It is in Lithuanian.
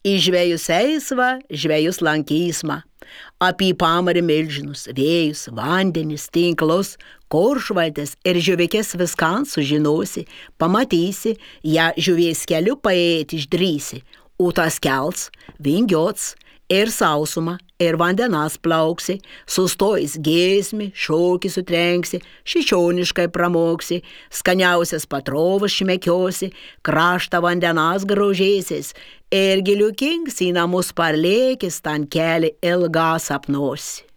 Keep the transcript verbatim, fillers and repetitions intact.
Į žvejus eisva, žvejus lankysma. Apie pamarį milžinus, vėjus, vandenis, tinklus, koršvaltes ir žuvikės viskan sužinosi, pamatysi, ją žuvies keliu paėti išdrysi, o tas kels, vingiots, ir sausumą, ir vandenas plauksi, sustojus giesmį, šokį sutrenksi, šičioniškai pramoksi, skaniausias patrovas šmekiosi, kraštą vandenas grožėsis, ir giliukings į namus parlėkis, tan keli ilgą sapnosi.